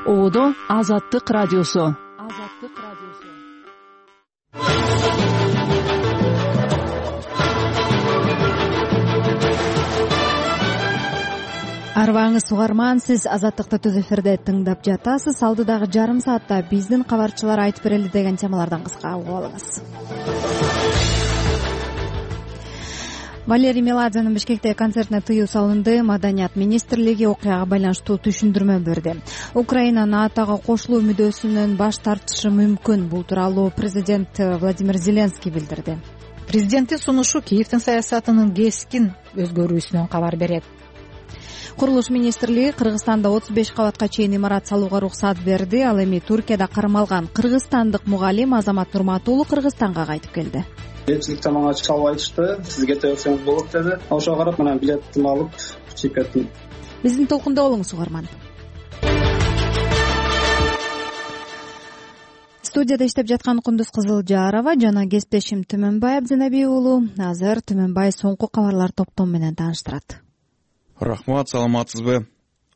Оодо Азаттык радиосу. Арбаңыз угарман, сиз Азаттыкты түз эфирде тыңдап жатасыз. Алдыдагы жарым саатта биздин кабарчылар айтып берели деген темалардан кыска угуп алыңыз. Валерий Меладзенин Бишкектеги концертине тыюу салынды. Маданият министрлиги окуяга байланыштуу түшүндүрмө берди. Украина НАТОго кошулуу мүддөсүнөн баш тартышы мүмкүн. Бул тууралуу президент Владимир Зеленский билдирди. Президенттин сунушу Киевдин саясатынын кескин өзгөрүүсүнөн кабар берет. Курулуш министрлиги Кыргызстанда 35 кабатка чейин имарат салууга уруксат берди. Ал эми Туркияда кармалган кыргызстандык мугалим Азамат Нурматулов Кыргызстанга кайтып келди. Элчиликте мага чалып айтышты, сиз кете берсеңиз болот деди. Ошого карап менен билетимди алып чыгып кеттим. Биздин толкунда болуңуз угарман. Студияда иштеп жаткан Кундуз Кызылжарова жана кесиптешим Түмөнбай Абдзенеби уулу азыр Түмөнбай соңку кабарлар топтому менен тааныштырат. Рахмат, саламатсызбы?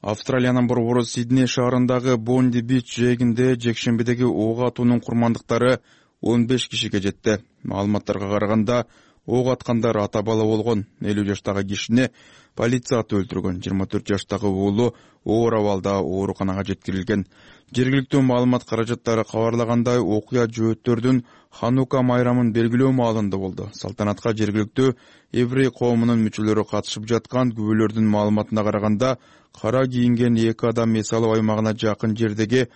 Австралиянын борбору Сидней шаарындагы Бонди-Бич жээгинде жекшембидеги ок атуунун курмандыктары 15 кишиге жетти. Маалыматтарга караганда, ок аткандар ата бала болгон. 50 жаштагы кишини полиция атып өлтүргөн. 24 жаштагы уулу оор абалда ооруканага жеткирилген. Жергиликтүү маалымат каражаттары кабарлагандай, окуя жөөттөрдүн Ханука майрамын белгилөө маалында болду. Салтанатка жергиликтүү еврей коомунун мүчөлөрү катышып жаткан. Күбөлөрдүн маалыматына караганда, кара кийинген 2 адам эс алуу аймагына жакын жердеги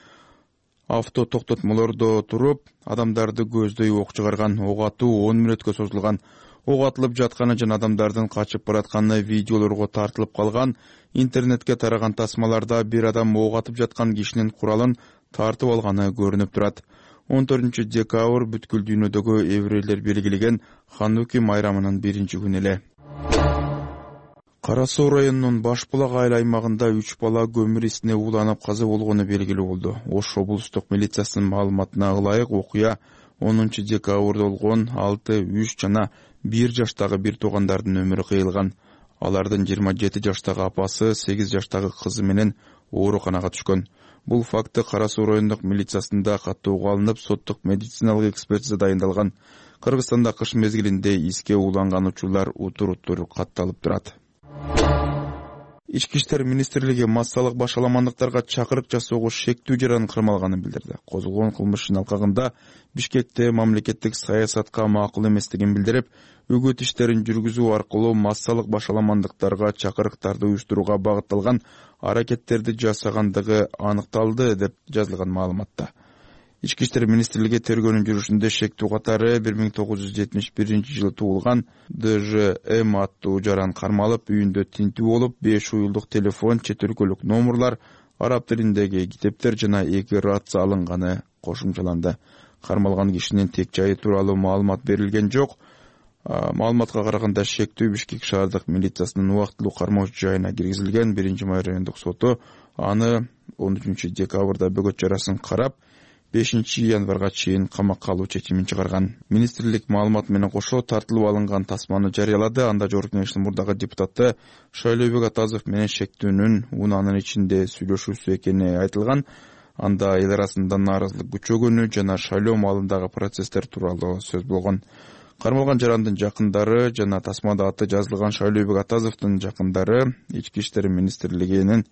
авто токтотмолордо туруп, адамдарды көздөй ок чыгарган. Ок атуу 10 мүнөткө созулган. Ок атылып жатканы жана адамдардын качып баратканы видеолорго тартылып калган. Интернетке тараган тасмаларда бир адам ок атып жаткан кишинин куралын тартып алганы көрүнүп турат. 14 декабрь бүткүл дүйнөдөгү еврейлер белгилеген Хануки майрамынын 1-күнү эле. Кара Суу районунун Баш Булак айыл аймагында 3 бала көмүр исине ууланып каза болгону белгилүү болду. Ош облустук милициясынын маалыматына ылайык, окуя 10 декабрда болгон. 6, 3 жана 1 жаштагы бир туугандардын өмүрү кыйылган. Алардын 27 жаштагы апасы, 8 жаштагы кызы менен ооруканага түшкөн. Бул факты Кара Суу райондук милициясында каттоого алынып, соттук медициналык экспертиза дайындалган. Кыргызстанда кыш мезгилинде иске ууланган учурлар утур-утур катталып турат. Ички иштер министрлиги массалык башаламандыктарга чакырык жасоого шектүү жаран кармалганын билдирди. Козголгон кылмыштын алкагында Бишкекте мамлекеттик саясатка макул эместигин билдирип, үгүт иштерин жүргүзүү аркылуу массалык башаламандыктарга чакырыктарды уюштурууга багытталган аракеттерди жасагандыгы аныкталды деп жазылган маалыматта. Ички иштер министрлиги тергөөнүн жүрүшүндө шектүү катары 1971 жылы туулган ДЖМ аттуу жаран кармалып, үйүндө тинтүү болуп, 5 уюлдук телефон, чет өлкөлүк номурлар, араб тилиндеги китептер жана 2 рация алынганы кошумчаланды. Кармалган кишинин тек жайы тууралуу маалымат берилген жок. Маалыматка караганда шектүү Бишкек шаардык милициясынын убактылуу кармоочу жайына киргизилген. 1-май райондук соту аны 13 декабрда бөгөт жарасын карап, 5 январга чейин камакка алуу чечимин чыгарган. Министрлик маалымат менен кошо тартылып алынган тасманы жарыялады. Анда Жогорку Кеңештин мурдагы депутаты Шайлообек Атазов менен шектүүнүн унаанын ичинде сүйлөшүүсү экени айтылган. Анда эл арасында нааразылык күчөгөнү жана шайлоо маалындагы процесстер тууралуу сөз болгон. Кармалган жарандын жакындары жана тасмада аты жазылган Шайлообек Атазовдун жакындары Ички иштер министрлигинин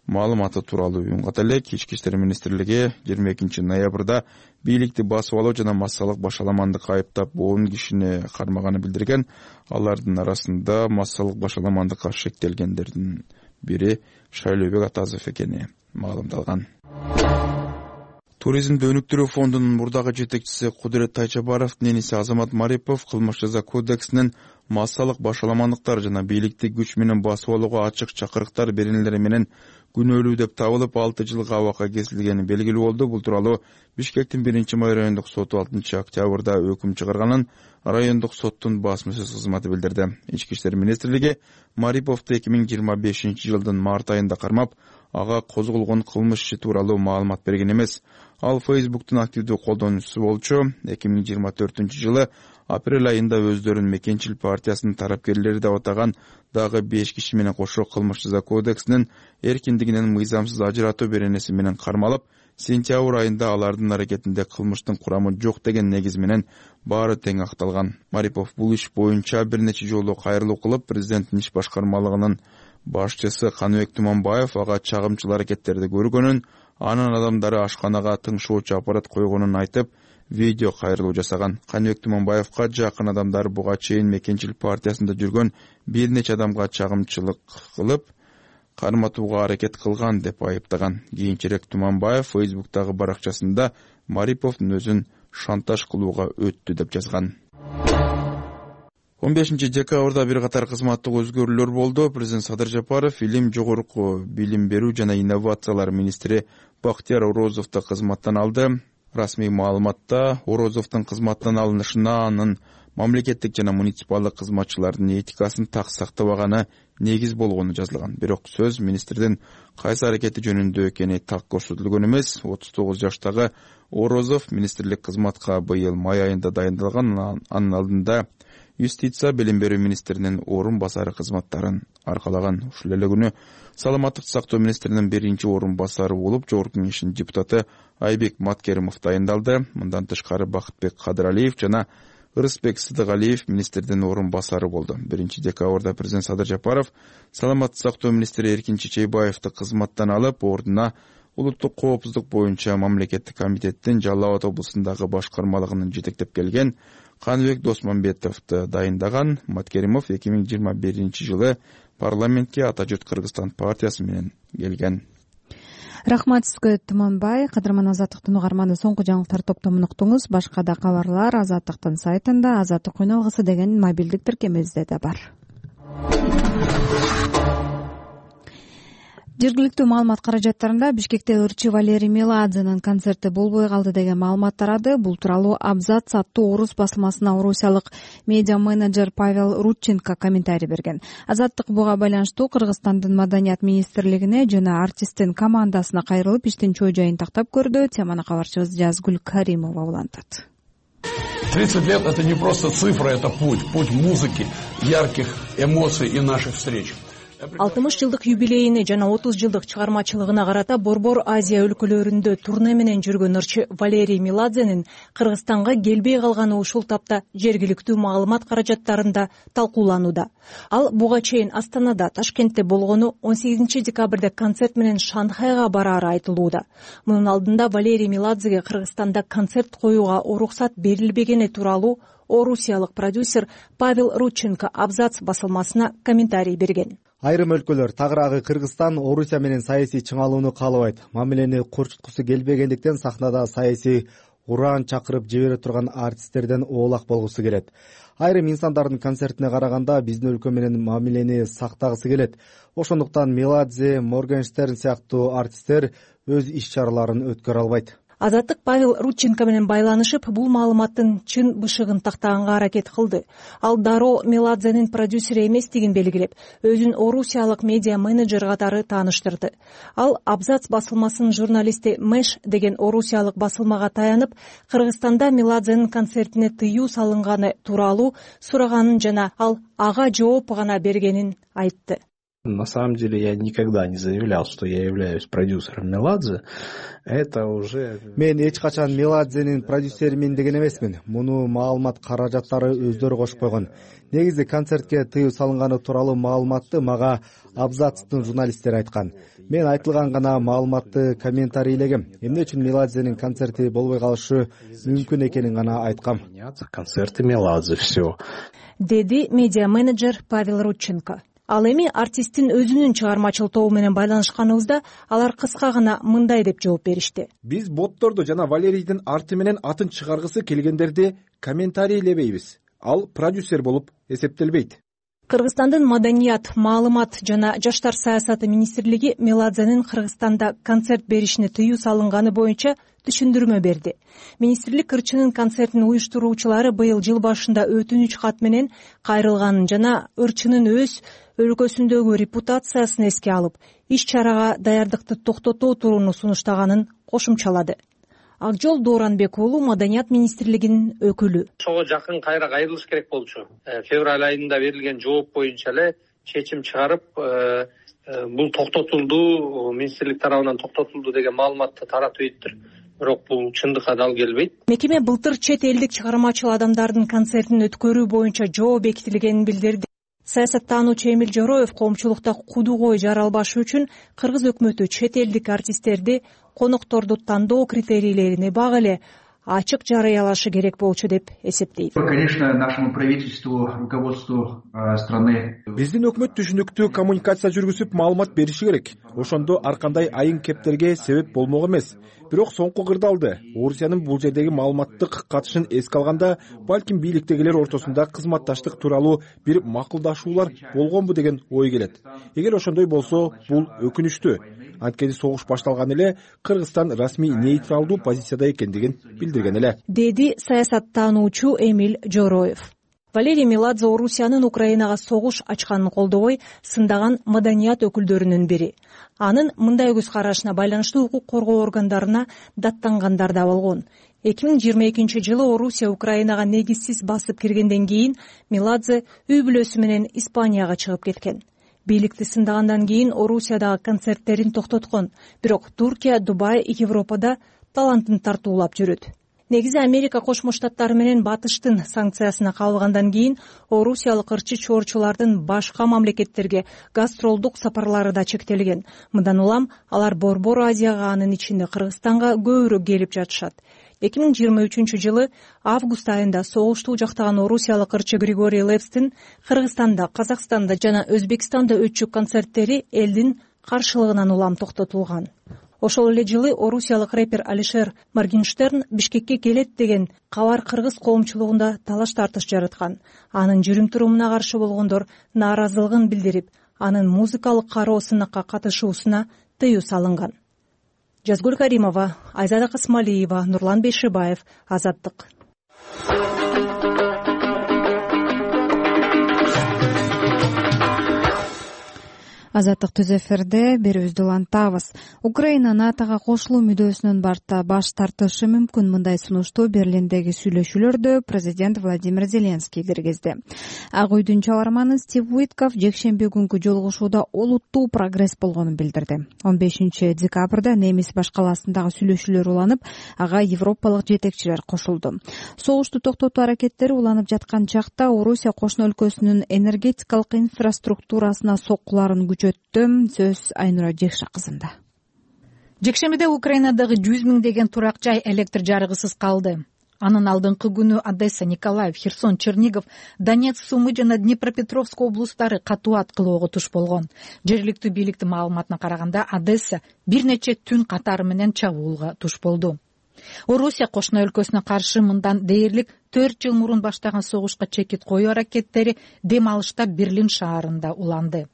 маалыматы тууралуу уюнгат элек. Ички иштер министрлиги 22 ноябрда бийликти басып алуу жана массалык башаламандыкка айыптап 10 кишини кармаганы билдирген. Алардын арасында массалык башаламандыкка шектелгендердин бири Шайлообек Атазов экени маалымдалган. Туризмди өнүктүрүү фондунун мурдагы жетекчиси Кудурет Тайчабаровдун эниси Азамат Марипов кылмыш жаза кодексинин массалык башаламандыктар жана бийликти күч менен басып алууга ачык чакырыктар беренелери менен күнөөлүү деп табылып 6 жылга абакка кесилгени белгилүү болду. Бул тууралуу Бишкектин 1-май райондук соту 6 октябрда өкүм чыгарганын райондук соттун басмасөз кызматы билдирди. Ички иштер министрлиги Мариповду 2025 жылдын март айында кармап, ага козголгон кылмыш иши тууралуу маалымат берген эмес. Ал Facebook'тун активдүү колдонуучусу болчу. 2024-жылы апрель айында өздөрүн Мекенчил партиясынын тарапкерлери деп атаган дагы 5 киши менен кошо кылмыш жаза кодексинин эркиндигинен мыйзамсыз ажыратуу беренеси менен кармалып, сентябрь айында алардын аракетинде кылмыштын курамы жок деген негиз менен баары тең акталган. Марипов бул иш боюнча бир нече жолу кайрылуу кылып, президенттин иш башкармалыгынын башчысы Каныбек Туманбаев ага чагымчыл аракеттерди көргөнүн, анын адамдары ашканага тыңшоочу аппарат койгонун айтып, видео кайрылуу жасаган. Каныбек Туманбаевка жакын адамдары буга чейин Мекенчил партиясында жүргөн бир нече адамга чагымчылык кылып, карматууга аракет кылган деп айыптаган. Кийинчерээк Туманбаев Facebook'тагы баракчасында Мариповдун өзүн шантаж кылууга өттү деп жазган. 15-декабрда бир катар кызматтык өзгөрүүлөр болду. Президент Садыр Жапаров илим, жогорку билим берүү жана инновациялар министри Бактияр Орозовду кызматтан алды. Расмий маалыматта Орозовдун кызматтан алынышына анын мамлекеттик жана муниципалдык кызматчылардын этикасын так сактабаганы негиз болгону жазылган. Бирок сөз министрдин кайсы аракети жөнүндө экени так көрсөтүлгөн эмес. 39 жаштагы Орозов министрлик кызматка быйыл май айында дайындалган. Анын алдында юстиция, билим берүү министринин орун басары кызматтарын аркалаган. Ушул эле күнү саламаттык сактоо министринин биринчи орун басары болуп, жогорку кеңештин депутаты Айбек Маткеримов дайындалды. Мындан тышкары Бакытбек Кадыралиев жана Ырысбек Сыдыгалиев министрдин орун басары болду. 1-декабрда президент Садыр Жапаров саламаттык сактоо министри Эркин Чечейбаевди кызматтан алып, ордуна улуттук коопсуздук боюнча мамлекеттик комитеттин Жалал Абад облусундагы башкармалыгынын жетектеп келген Каныбек Досмамбетовду дайындаган. Маткеримов 2021-жылы парламентке Ата жұрт Кыргызстан партиясы менен келген. Рахмат сизге Туманбай. Кадырман Азаттыктын угарманы, соңку жаңылыктар топтомун уктуңуз. Башка да кабарлар Азаттыктын сайтында, Азаттык үналгысы деген мобилдик тиркемебизде да бар. Жергиликтүү маалымат каражаттарында Бишкекте ырчы Валерий Меладзенин концерти болбой калды деген маалымат тарады. Бул тууралуу Абзац аттуу орус басылмасына орусиялык медиа менеджер Павел Рудченко комментарий берген. Азаттык буга байланыштуу Кыргызстандын маданият министрлигине жана артисттин командасына кайрылып, иштин чоо жайын тактап көрдү. Теманы кабарчыбыз Жазгүл Каримова улантат. 30 лет — это не просто цифра, это путь музыки, ярких эмоций и наших встреч. 60 жылдык юбилейине жана 30 жылдык чыгармачылыгына карата Борбор Азия өлкөлөрүндө турне менен жүргөн ырчы Валерий Меладзенин Кыргызстанга келбей калганы ушул тапта жергиликтүү маалымат каражаттарында талкууланууда. Ал буга чейин Астанада, Ташкентте болгону, 18 декабрда концерт менен Шанхайга бараары айтылууда. Мунун алдында Валерий Меладзеге Кыргызстанда концерт коюуга уруксат берилбегени тууралуу орусиялык продюсер Павел Рудченко Абзац басылмасына комментарий берген. Айрым өлкөлөр, тагыраагы Кыргызстан, Орусия менен саясий чыңалууну каалабайт. Мамилени корчуткусу келбегендиктен сахнада саясий ураан чакырып жибере турган артисттерден оолак болгусу келет. Айрым инсандардын концертине караганда биздин өлкө менен мамилени сактагысы келет. Ошондуктан Меладзе, Моргенштерн сыяктуу артисттер өз иш-чараларын өткөрө албайт. Азаттык Павел Рудченко менен байланышып, бул маалыматтын чын бышыгын тактаганга аракет кылды. Ал дароо Меладзенин продюсери эместигин белгилеп, өзүн орусиялык медиа менеджер катары тааныштырды. Ал Абзац басылмасынын журналисти Мэш деген орусиялык басылмага таянып, Кыргызстанда Меладзенин концертине тыюу салынганы тууралуу сураганын жана ал ага жооп гана бергенин айтты. На самом деле я никогда не заявлял, что я являюсь продюсером Меладзе. Это уже... Мен эч качан Меладзенин продюсеримин деген эмесмин. Муну маалымат каражаттары өздөрү кошуп койгон. Негизи концертке тыюу салынганы тууралуу маалыматты мага Абзацтын журналисттери айткан. Мен айтылган гана маалыматты комментарийлегем. Эмне үчүн Меладзенин концерти болбой калышы мүмкүн экенин гана айткам. Концерты Меладзе, все. Деди медиа менеджер Павел Рудченко. Ал эми артисттин өзүнүн чыгармачыл тобу менен байланышканыбызда алар кыска гана мындай деп жооп беришти. Биз ботторду жана Валерийдин арты менен атын чыгаргысы келгендерди комментарийлебейбиз. Ал продюсер болуп эсептелбейт. Кыргызстандын маданият, маалымат жана жаштар саясаты министрлиги Меладзенин Кыргызстанда концерт беришине тыюу салынганы боюнча түшүндүрмө берди. Министрлик ырчынын концертин уюштуруучулары быйыл жыл башында өтүнүч кат менен кайрылганын жана ырчынын өз өлкөсүндөгү репутациясын эске алып, иш-чарага даярдыкты токтотуу турууну сунуштаганын кошумчалады. Ак жол Дооранбек уулу Маданият министрлигинин өкүлү. Ошого жакын кайра кайрылыш керек болчу. Февраль айында берилген жооп боюнча эле чечим чыгарып, бул токтотулду, министрлик тарабынан токтотулду деген маалыматты таратып ийиптир. Бирок бул чындыкка дал келбейт. Мекеме былтыр чет элдик чыгармачыл адамдардын концертин өткөрүү боюнча жоо бекитилгенин билдирди. Саясаттануучу Эмиль Жороев коомчулукта кудугой жаралбашы үчүн кыргыз өкмөтү чет элдик артисттерди конокторду тандоо критерийлерине бак эле ачык жарыялашы керек болчу деп эсептейт. Конечно, нашему правительству, руководству страны. Биздин өкмөт түшүнүктүү коммуникация жүргүзүп маалымат бериши керек. Ошондо ар кандай айын кептерге себеп болмок эмес. Бирок соңку кырдаалды Орусиянын бул жердеги маалыматтык катышын эске алганда, балким бийликтегилер ортосунда кызматташтык тууралуу бир макулдашуулар болгонбу деген ой келет. Эгер ошондой болсо, бул өкүнүчтүү. Анткени согуш башталган эле Кыргызстан расмий нейтралдуу позицияда экендигин билдирген эле, деди саясаттануучу Эмиль Жороев. Валерий Меладзе Орусиянын Украинага согуш ачканын колдобой сындаган маданият өкүлдөрүнүн бири. Анын мындай көз карашына байланыштуу укук коргоо органдарына даттангандар да болгон. 2022-жылы Орусия Украинага негизсиз басып киргенден кийин Меладзе үй бүлөсү менен Испанияга чыгып кеткен. Бийликти сындагандан кийин Орусиядагы концерттерин токтоткон, бирок Туркия, Дубай, Европада талантын тартуулап жүрөт. Негизи Америка Кошмо Штаттары менен Батыштын санкциясына кабылгандан кийин орусиялык ырчы чоорчулардын башка мамлекеттерге гастролдук сапарлары да чектелген. Мындан улам алар Борбор Азияга, анын ичинде Кыргызстанга көбүрөөк келип жатышат. 2023-жылы август айында согушту жактаган орусиялык ырчы Григорий Лепстин Кыргызстанда, Казакстанда жана Өзбекстанда өтчү концерттери элдин каршылыгынан улам токтотулган. Ошол эле жылы орусиялык рэпер Алишер Моргенштерн Бишкекке келет деген кабар кыргыз коомчулугунда талаш-тартыш жараткан. Анын жүрүм-турумуна каршы болгондор нааразылыгын билдирип, анын музыкалык кароо сынакка катышуусуна тыюу салынган. Жазгүл Каримова, Айзада Касмалиева, Нурлан Бейшибаев, Азаттык. Азаттык түз эфирде берүүбүздү улантабыз. Украина НАТОга кошулуу мүдөөсүнөн баш тартышы мүмкүн. Мындай сунушту Берлиндеги сүйлөшүүлөрдө президент Владимир Зеленский киргизди. Ак үйдүн чабарманы Стив Уитков жекшемби күнкү жолугушууда олуттуу прогресс болгонун билдирди. 15 декабрда Немис баш калаасындагы сүйлөшүүлөр уланып, ага европалык жетекчилер кошулду. Согушту токтотуу аракеттери уланып жаткан чакта Орусия кошуна өлкөсүнүн энергетикалык инфраструктурасына соккуларын сөз Айнура Жекша кызында. Жекшембиде Украинадагы 100 миңдеген турак жай электр жарыгысыз калды. Анын алдыңкы күнү Одесса, Николаев, Херсон, Чернигов, Донецк, Сумы жана Днепропетровск облустары катуу аткылоого туш болгон. Жергиликтүү бийликтин маалыматына караганда, Одесса бир нече түн катары менен чабуулга туш болду. Орусия кошуна өлкөсүнө каршы мындан дээрлик 4 жыл мурун баштаган согушка чекит коюу аракеттери дем алышта Берлин шаарында уланды.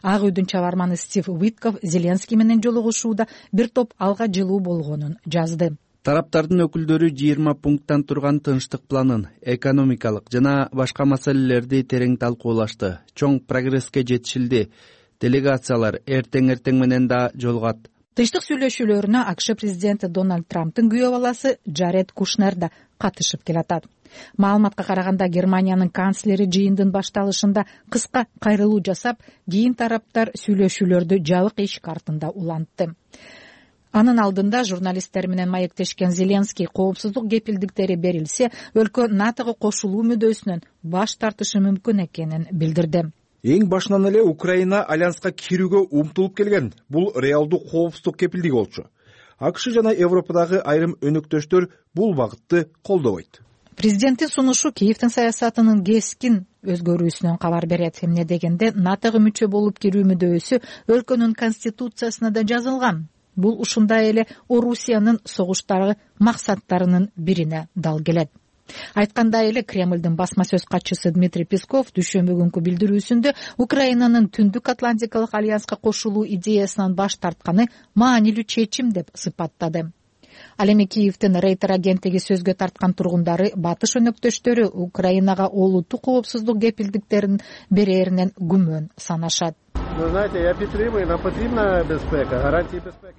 Ак үйдүн чабарманы Стив Уитков Зеленский менен жолугушууда бир топ алга жылуу болгонун жазды. Тараптардын өкүлдөрү 20 пункттан турган тынчтык планын, экономикалык жана башка маселелерди терең талкуулашты. Чоң прогресске жетишилди. Делегациялар эртең менен да жолугат. Тынчтык сүйлөшүүлөрүнө АКШ президенти Дональд Трамптын күйөө баласы Джаред Кушнер да катышып келатат. Маалыматка караганда Германиянын канцлери жыйындын башталышында кыска кайрылуу жасап, кийин тараптар сүйлөшүүлөрдү жабык эшик артында улантты. Анын алдында журналисттер менен маектешкен Зеленский коопсуздук кепилдиктери берилсе, өлкө НАТОго кошулуу мүдөөсүнөн баш тартышы мүмкүн экенин билдирди. Эң башынан эле Украина альянска кирүүгө умтулуп келген. Бул реалдуу коопсуздук кепилдиги болчу. АКШ жана Европадагы айрым өнөктөштөр бул багытты колдобойт. Президенттин сунушу Киевдин саясатынын кескин өзгөрүүсүнөн кабар берет. Эмне дегенде, НАТОго мүчө болуп кирүү мүдөөсү өлкөнүн конституциясына да жазылган. Бул ушундай эле Орусиянын согуштагы максаттарынын бирине дал келет. Айткандай эле, Кремлдин басма сөз катчысы Дмитрий Песков дүйшөмбү күнкү билдирүүсүндө Украинанын Түндүк Атлантикалык альянска кошулуу идеясынан баш тартканы маанилүү чечим деп сыпаттады. Ал эми Киевдин Рейтер агенттиги сөзгө тарткан тургундары батыш өнөктөштөрү Украинага олуттуу коопсуздук кепилдиктерин берээринен күмөн санашат.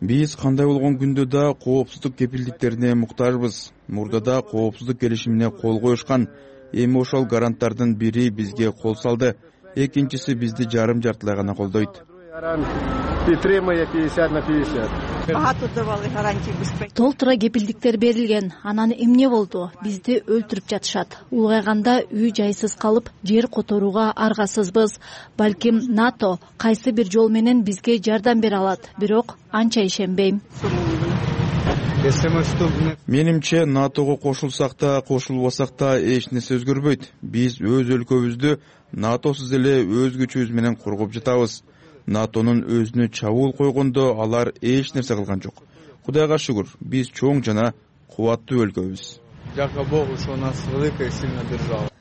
Биз кандай болгон күндө да коопсуздук кепилдиктерине муктажбыз. Мурдада коопсуздук келишимине кол коюшкан. Эми ошол гаранттардын бири бизге кол салды. Экинчиси бизди жарым-жартылай гана колдойт. Толтура кепилдиктер берилген. Анан эмне болду? Бизди өлтүрүп жатышат. Улгайганда үй жайсыз калып, жер которууга аргасызбыз. Балким НАТО кайсы бир жол менен бизге жардам бере алат. Бирок анча ишенбейм. Менимче НАТОго кошулсак да, кошулбасак да эч нерсе өзгөрбөйт. Биз өз өлкөбүздү НАТОсуз эле өз күчүбүз менен коргоп жатабыз. НАТОнун өзүнө чабуул койгондо алар эч нерсе кылган жок. Кудайга шүгүр, биз чоң жана кубаттуу өлкөбүз.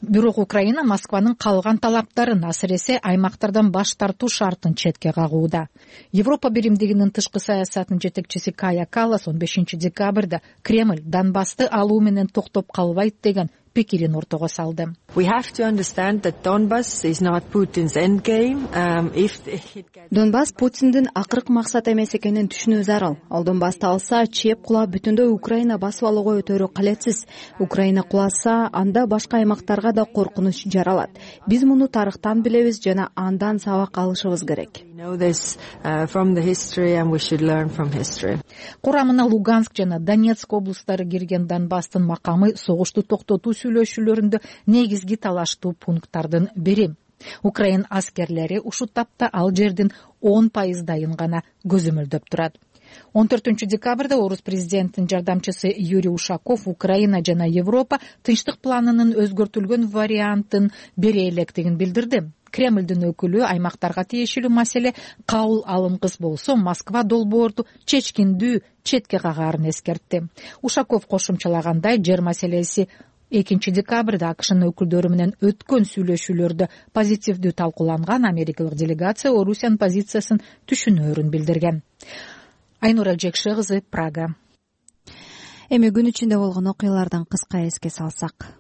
Бирок Украина Москванын калган талаптарын, асыресе аймактардан баш тартуу шартын четке кагууда. Европа биримдигинин тышкы саясатынын жетекчиси Кая Каллас 15 декабрда Кремль Донбассты алуу менен токтоп калбайт деген пикирин ортого салды. Донбасс Путиндин акыркы максат эмес экенин түшүнүү зарыл. Ал Донбассты алса, чеп кулап бүтүндөй Украина басып алууга өтөрү калетсиз. Украина куласа, анда башка аймактарга да коркунуч жаралат. Биз муну тарыхтан билебиз жана андан сабак алышыбыз керек. Курамына Луганск жана Донецк облустары кирген Донбасстын макамы согушту токтотуу сүйлөшүүлөрүндө негизги талаштуу пункттардын бири. Украин аскерлери ушул тапта ал жердин 10% гана көзөмөлдөп турат. 14 декабрда орус президентинин жардамчысы Юрий Ушаков Украина жана Европа тынчтык планынын өзгөртүлгөн вариантын бере электигин билдирди. Кремлдин өкүлү аймактарга тиешелүү маселе кабыл алынгыс болсо, Москва долбоорду чечкиндүү четке кагаарын эскертти. Ушаков кошумчалагандай, жер маселеси 2 декабрда АКШнын өкүлдөрү менен өткөн сүйлөшүүлөрдө позитивдүү талкууланган. Америкалык делегация Орусиянын позициясын түшүнөөрүн билдирген. Айнур Элжекши кызы, Прага. Эми күн ичинде болгон окуялардан кыска эске салсак.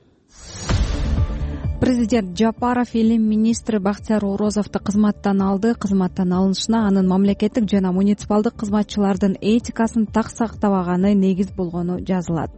Президент Жапаров илим министри Бактияр Орозовду кызматтан алды. Кызматтан алынышына анын мамлекеттик жана муниципалдык кызматчылардын этикасын так сактабаганы негиз болгону жазылат.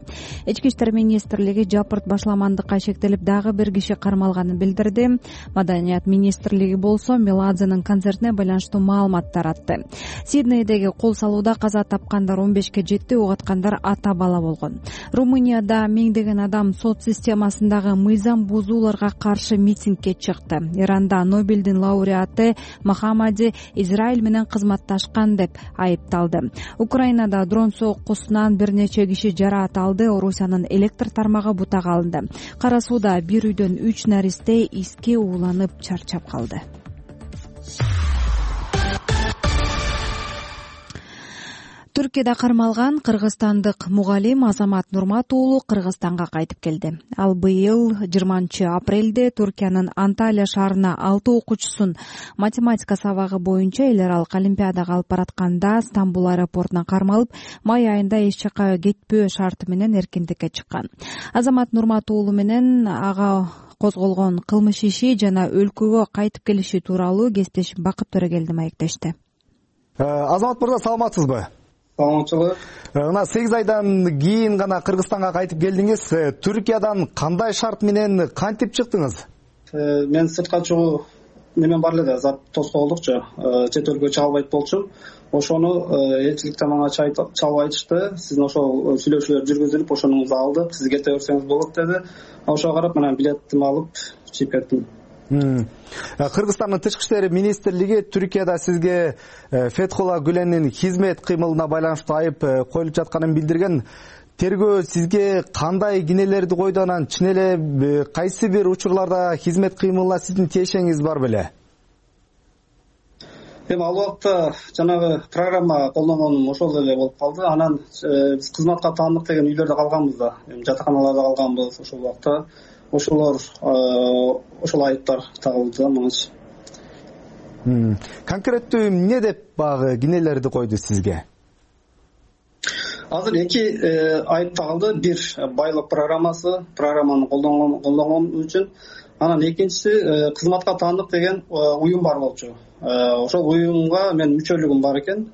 Ички иштер министрлиги Жапырт башламандыкка шектелип дагы бир киши кармалганын билдирди. Маданият министрлиги болсо Меладзенин концертине байланыштуу маалымат таратты. Сиднейдеги кол салууда каза тапкандар 15-ке жетти, угаткандар ата бала болгон. Румынияда миңдеген адам сот системасындагы мыйзам бузууларга каршы митингге чыкты. Иранда Нобелдин лауреаты Мохаммади Израиль менен кызматташкан деп айыпталды. Украинада дрон соккусунан бир нече киши жараат алды. Орусиянын электр тармагы бутага алынды. Кара сууда бир үйдөн 3 наристе иске ууланып чарчап калды. Түркияда кармалган кыргызстандык мугалим Азамат Нурмат уулу Кыргызстанга кайтып келди. Ал быйыл 20-апрелде Түркиянын Анталия шаарына 6 окуучусун математика сабагы боюнча эл аралык олимпиадага алып баратканда Стамбул аэропортуна кармалып, май айында эч жака кетпөө шарты менен эркиндикке чыккан. Азамат Нурмат уулу менен ага козголгон кылмыш иши жана өлкөгө кайтып келиши тууралуу кесиптешим Бакыт Төрөгелди маектешти. Азамат мырза, саламатсызбы? Саламатчылык. Мына 8 айдан кийин гана Кыргызстанга кайтып келдиңиз. Түркиядан кандай шарт менен кантип чыктыңыз? Мен сыртка чыгуу немен бар эле да, зат тоскоолдукчу. Чет өлкөгө чыга албайт болчумун. Ошону элчиликте мага чалып айтышты. Сиздин ошол сүйлөшүүлөр жүргүзүлүп, ошоnuңузду алдык. Сиз кете берсеңиз болот деди. Ошого карап менен билетимди алып чыгып кеттим. Кыргызстандын тышкы иштер министрлиги Түркияда сизге Фетхулла Гүленин хизмет кыймылына байланыштуу айып коюлуп жатканын билдирген. Тергөө сизге кандай кинелерди койду, анан чын эле кайсы бир учурларда хизмет кыймылына сиздин тиешеңиз бар беле? Эми ал убакта жанагы программа колдонгонум ошол эле болуп калды. Анан биз кызматка таандык деген үйлөрдө калганбыз да, жатаканаларда калганбыз ошол убакта. Ошол айыптар тагылды мага. Конкреттүү эмне деп багы кинелерди койду сизге? Азыр 2 айып тагылды. Бир байлык программаны колдонгон үчүн. Анан экинчиси кызматка таандык деген уюм бар болчу. ошол уюмга менин мүчөлүгүм бар экен.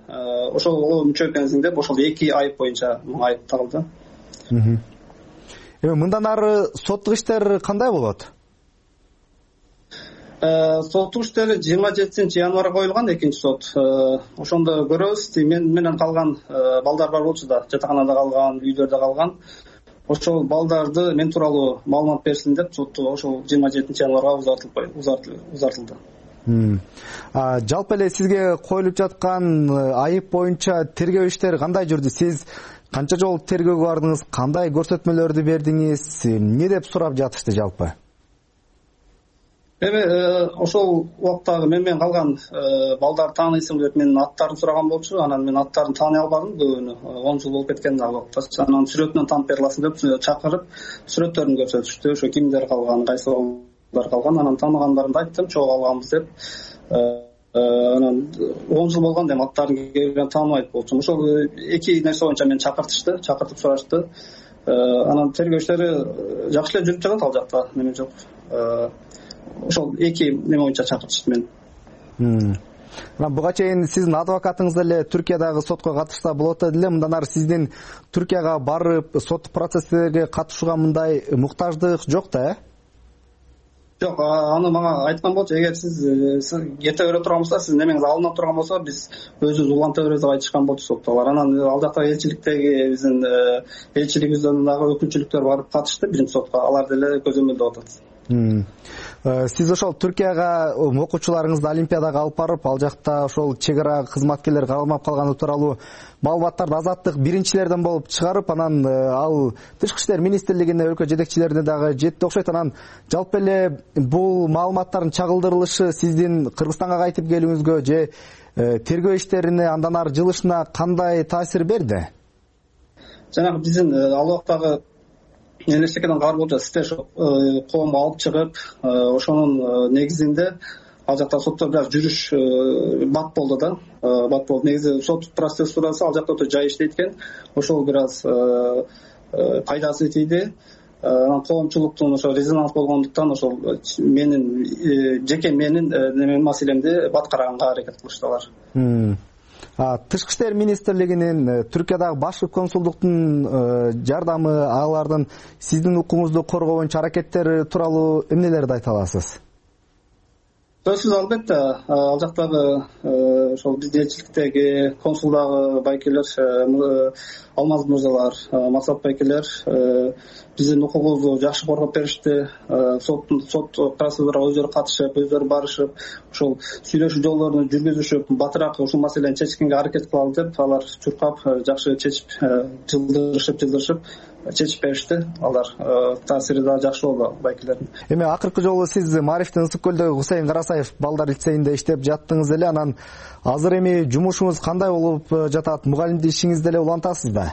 Ошого мүчө экенсиң деп ошол 2 айып боюнча айып тагылды. Эми мындан ары соттук иштер кандай болот? Соттук иштери 27-январга коюлган, экинчи сот. Ошондо көрөбүз. Мен менен калган балдар бар болчу да, жатаканада калган, үйлөрдө калган. Ошол балдарды мен тууралуу маалымат берсин деп сотту ошол 27-январга узартылды. Жалпы эле сизге коюлуп жаткан айып боюнча тергөө иштери кандай жүрдү? Сиз канча жолу тергөөгө бардыңыз? Кандай көрсөтмөлөрдү бердиңиз? Эмне деп сурап жатышты жалпы? Эми ошол убактагы менен калган балдар тааныйсыңбы деп менин аттарын сураган болчу. Анан мен аттарын тааный албадым көбүнө. 10 жыл болуп кеткен ал убакта. Анан сүрөтүнөн таанып бере аласың деп чакырып сүрөттөрүн көрсөтүштү. Ошо кимдер калган, кайсы балдар калган. Анан тааныгандарымды айттым, чогуу алганбыз деп. Анан 10 жыл болгон деп аттарын келген тааныбайт болчумун. Ошол 2 нерсе боюнча мени чакыртып сурашты. Анан тергөө иштери жакшы эле жүрүп жатат ал жакта, неме жок. Ошол 2 неме боюнча чакыртышты мени. Буга чейин сиздин адвокатыңыз деле Түркиядагы сотко катышса болот эле. Мындан ары сиздин Түркияга барып сот процесстерге катышууга мындай муктаждык жок да, Жок, аны мага айткан болчу. Эгер сиз кете бере турган болсо, сиз немеңиз алынып турган болсо, биз өзүбүз уланта беребиз деп айтышкан болчу соттогулар. Анан ал жакта элчиликтеги биздин элчилигибизден дагы өкүлчүлүктөр барып катышты биринчи сотко. Алар деле көзөмөлдөп атат. Сиз ошол Түркияга окуучуларыңызды Олимпиадага алып барып, ал жакта ошол чек ара кызматкерлери калмап калганы тууралуу маалыматтарды Азаттык биринчилерден болуп чыгарып, анан ал Тышкы иштер министрлигине, өлкө жетекчилерине дагы жетти окшойт. Анан жалпы эле бул маалыматтардын чагылдырылышы сиздин Кыргызстанга кайтып келүүңүзгө же тергөө иштерине андан ары жылышына кандай таасир берди? Жанагы биздин ал убактагы элестекеден кабар болчу. Сиздер коомго алып чыгып, ошонун негизинде ал жакта сотто бир аз жүрүш бат болду да. Бат болду. Негизи сот процедурасы ал жакта өтө жай иштейт экен. Ошол бир аз пайдасы тийди. Анан коомчулуктун ошо резонанс болгондуктан ошол менин жеке менин неме маселемди баткараганга аракет кылышты алар. Тышкы иштер министрлигинин, Түркиядагы башкы консулдуктун жардамы, алардын сиздин укугуңузду коргоо боюнча аракеттери тууралуу эмнелерди айта аласыз? Сөзсүз албетте, ал жактагы ошол биздин элчиликтеги консулдагы байкелер, Алмаз мырзалар, Максат байкелер биздин укугубузду жакшы коргоп беришти. Сот процедурага өздөрү катышып, өздөрү барышып, ошол сүйлөшүү жолдорун жүргүзүшүп, батыраак ушул маселени чечкенге аракет кылалы деп алар чуркап, жакшы чечип, жылдырышып чечип беришти. Алар таасири да жакшы болду байкелердин. Эми акыркы жолу сиз Маарифтин Ысык көлдөгү Гусейн Карасаев балдар лицейинде иштеп жаттыңыз эле. Анан азыр эми жумушуңуз кандай болуп жатат? Мугалимдик ишиңизди деле улантасызбы?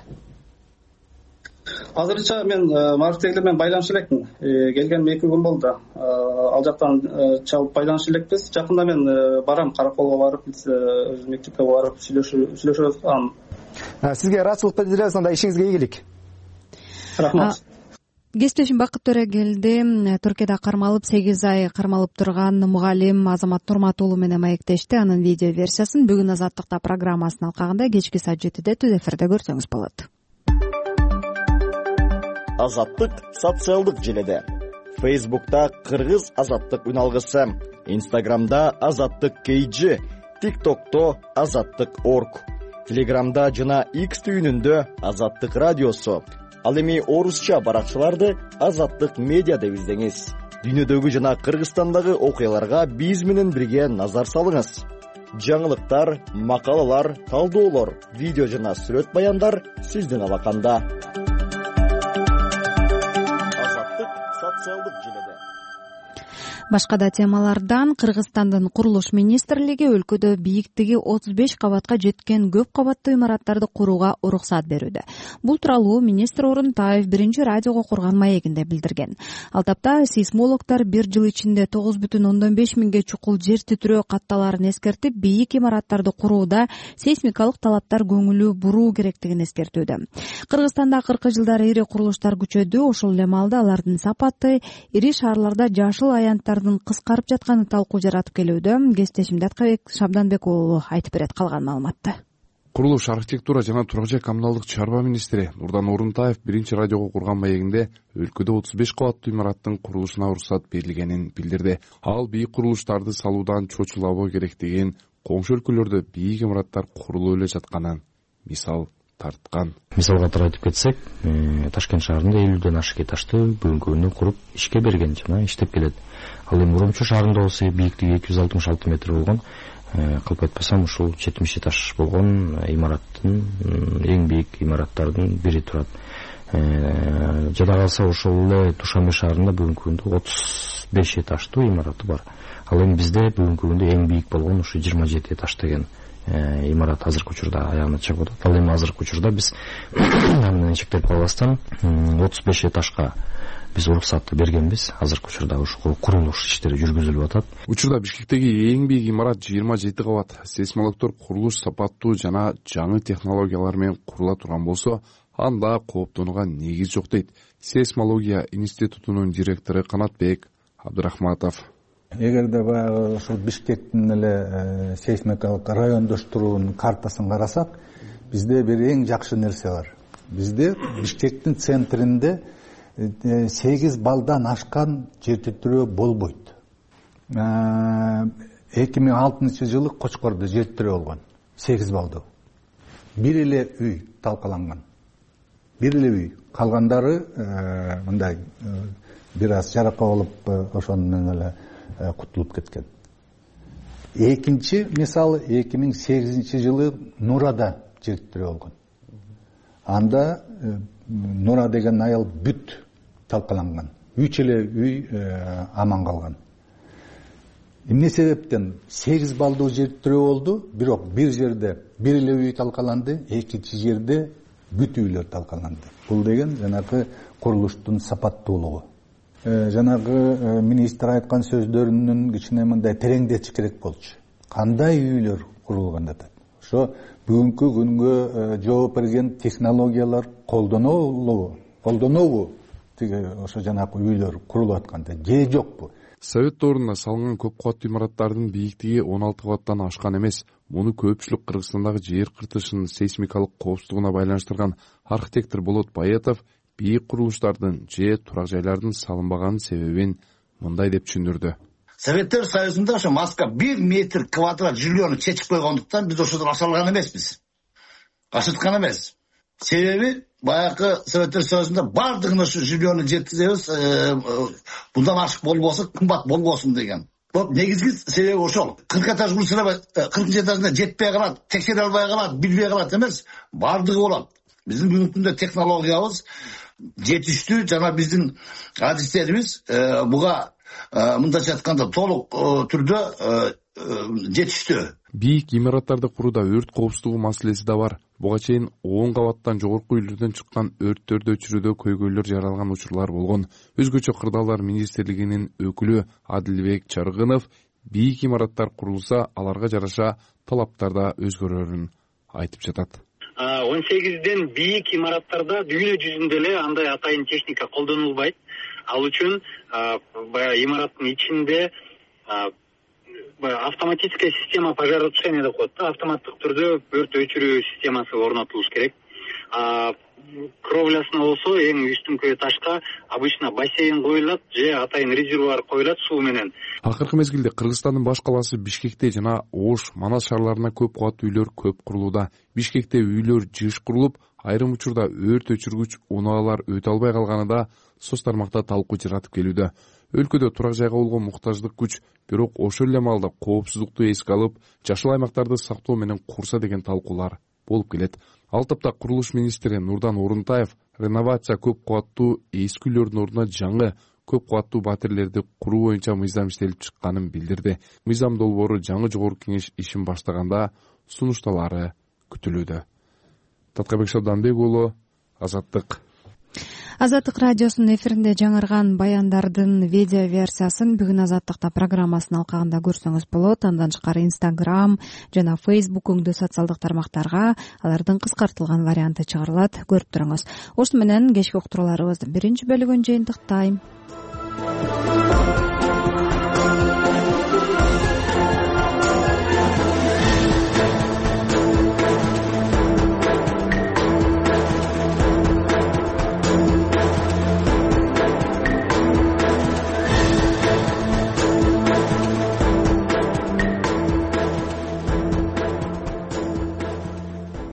Азырынча мен Маарифтегилер менен байланыша элекмин. Келгениме 2 күн болду. Ал жактан чалып байланыша элекпиз. Жакында мен барам, Караколго барып, өз мектепке барып сүйлөшөбүз. Сизге ыраазычылык билдиребиз, анда ишиңизге ийгилик. Рахмат. Кесиптешим Бакыт Төрөгелди Түркияда кармалып 8 ай кармалып турган мугалим Азамат Нурматулу менен маектешти. Анын видео версиясын бүгүн Азаттыкта программасынын алкагында кечки саат 7-де түз эфирде көрсөңүз болот. Азаттык социалдык желеде. Facebook'ta Кыргыз Азаттык үналгысы, Instagram'da Азаттык KG, TikTok'to Азаттык.org, Telegram'da жана X түйүнүндө Азаттык радиосу. Ал эми орусча баракчаларды Азаттык медиа деп издеңиз. Дүйнөдөгү жана Кыргызстандагы окуяларга биз менен бирге назар салыңыз. Жаңылыктар, макалалар, талдоолор, видео жана сүрөт баяндар сиздин алаканда. Азаттык социалдык желеде. Башка да темалардан Кыргызстандын курулуш министрлиги өлкөдө бийиктиги 35 кабатка жеткен көп кабаттуу имараттарды курууга уруксат берүүдө. Бул тууралуу министр Орунтаев биринчи радиого курган маегинде билдирген. Ал тапта сейсмологдор 1 жыл ичинде 9,5 миңге чукул жер титирөө катталарын эскертип, бийик имараттарды курууда сейсмикалык талаптар көңүлү буруу керектигин эскертүүдө. Кыргызстанда акыркы жылдары ири курулуштар күчөдү, ошол эле маалда алардын сапаты, ири шаарларда жашыл аянттар курулуштардын кыскарып жатканы талкуу жаратып келүүдө. Кесиптешим Даткабек Шабданбек уулу айтып берет калган маалыматты. Курулуш, архитектура жана турак жай коммуналдык чарба министри Нурдан Орунтаев биринчи радиого курган маегинде өлкөдө 35 кабаттуу имараттын курулушуна уруксат берилгенин билдирди. Ал бийик курулуштарды салуудан чочулабоо керек деген коңшу өлкөлөрдө бийик имараттар курулуп эле жатканын мисал тарткан. Мисалга айтып кетсек, Ташкент шаарында 50ден ашык этажды бүгүнкү күндө куруп ишке берген жана иштеп келет. Ал эми Уромчу шаарында болсо бийликтиги 266 метр болгон, кылып айтпасам ушул 70 этаж болгон имараттын эң бийик имараттардын бири турат. Жада калса ошол эле Душанбе шаарында бүгүнкү күндө 35 этаждуу имараты бар. Ал эми бизде бүгүнкү күндө эң бийик болгон ушу 27 этаж деген имарат азыркы учурда аягына чыгып атат. Ал эми азыркы учурда биз менен чектелип калбастан 35 этажга биз уруксатты бергенбиз. Азыркы учурда ушул курулуш иштери жүргүзүлүп атат. Учурда Бишкектеги эң бийик имарат 27 кабат. Сейсмологдор курулуш сапаттуу жана жаңы технологиялар менен курула турган болсо, анда кооптонууга негиз жок дейт Сейсмология институтунун директору Канатбек Абдырахматов. Эгерде баягы ушул Бишкектин эле сейсмикалык райондоштуруунун картасын карасак, бизде бир эң жакшы нерсе бар. Бизде Бишкектин центринде 8 балдан ашкан жер титирөө болбойт. 2006 жылы Кочкордо жер титирөө болгон. 8 балдуу. Бир эле үй талкаланган. Бир эле үй. Калгандары мындай бир аз жарака болуп ошону менен эле кутулуп кеткен. Экинчи мисалы 2008 жылы Нурада жер титирөө болгон. Анда Нура деген айыл бүт талкаланган. 3 эле үй аман калган. Эмне себептен 8 балдуу жер титирөө болду, бирок бир жерде бир эле үй талкаланды, экинчи жерде бүт үйлөр талкаланды. Бул деген жанагы курулуштун сапаттуулугу. Жанагы министр айткан сөздөрүнүн кичине мындай тереңдетиш керек болчу. Кандай үйлөр курулган деп. Ошо бүгүнкү күнгө жооп берген технологиялар колдонообу? Тиги ошо жанагы үйлөр курулуп атканда же жокпу? Совет доорунда салынган көп кабаттуу имараттардын бийиктиги 16 кабаттан ашкан эмес. Муну көпчүлүк Кыргызстандагы жер кыртышынын сейсмикалык коопсуздугуна байланыштырган архитектор Болот Баятов бийик курулуштардын же турак жайлардын салынбаганын себебин мындай деп түшүндүрдү. Советтер Союзунда ошо Москва 1 метр квадрат жильону чечип койгондуктан биз ошодон ашалган эмеспиз. Ашыткан эмес. Себеби баягы Советтер Союзунда бардыгын ошо жильону жеткизебиз, bundan ашык болбосо кымбат болбосун деген. Негизги себеби ошол. 40 этаж курса 40 этажына жетпей калат, текшере албай калат, билбей калат эмес, бардыгы болот. Биздин бүгүнкү күндө технологиябыз жетиштүү жана биздин адистерибиз буга мындайча айтканда толук түрдө жетиштүү. Бийик имараттарды курууда өрт коопсуздугу маселеси да бар. Буга чейин 10 кабаттан жогорку үйлөрдөн чыккан өрттөрдү өчүрүүдө көйгөйлөр жаралган учурлар болгон. Өзгөчө Кырдаалдар министрлигинин өкүлү Адилбек Чаргынов бийик имараттар курулса, аларга жараша талаптар да өзгөрөрүн айтып жатат. 18ден бийик имараттарда дүйнө жүзүндө эле андай атайын техника колдонулбайт. Ал үчүн имараттын ичинде автоматическая система пожаротушения деп коет да, автоматтык түрдө өрт өчүрүү системасы орнотулуш керек. Кровлясына болсо эң үстүнкү этажга обычно бассейн коюлат же атайын резервуар коюлат суу менен. Акыркы мезгилде Кыргызстандын баш калаасы Бишкекте жана Ош, Манас шаарларына көп кабаттуу үйлөр көп курулууда. Бишкекте үйлөр жыш курулуп, айрым учурда өрт өчүргүч унаалар өтө албай калганы да соц тармакта талкуу жаратып келүүдө. Өлкөдө турак жайга болгон муктаждык күч, бирок ошол эле маалда коопсуздукту эске алып, жашыл аймактарды сактоо менен курса деген талкуулар болуп келет. Ал тапта курулуш министри Нурдан Орунтаев реновация көп кабаттуу эски үйлөрдүн ордуна жаңы көп кабаттуу батирлерди куруу боюнча мыйзам иштелип чыкканын билдирди. Мыйзам долбоору жаңы жогорку кеңеш ишин баштаганда сунушталары күтүлүүдө. Таткабек Шабданбек уулу, Азаттык. Азаттык радиосунун эфиринде жаңырган баяндардын видео версиясын бүгүн Азаттыкта программасынын алкагында көрсөңүз болот. Андан тышкары Instagram жана Facebook өңдүү социалдык тармактарга алардын кыскартылган варианты чыгарылат. Көрүп туруңуз. Ошону менен кечки уктурууларыбыздын биринчи бөлүгүн жыйынтыктайм.